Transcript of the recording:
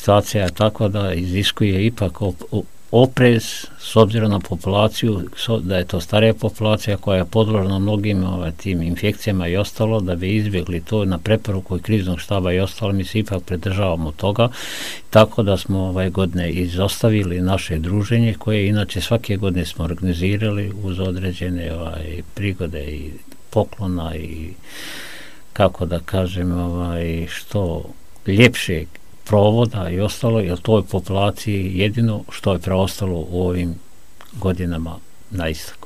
situacija je takva da iziskuje ipak oprez s obzirom na populaciju, da je to starija populacija koja je podložna mnogim tim infekcijama i ostalo, da bi izbjegli to na preporuku i kriznog štaba i ostalo, mi se ipak pridržavamo toga, tako da smo ove godine izostavili naše druženje koje inače svake godine smo organizirali uz određene prigode i poklona i kako da kažem što ljepše provoda i ostalo, jer toj populaciji jedino što je preostalo u ovim godinama na istoku.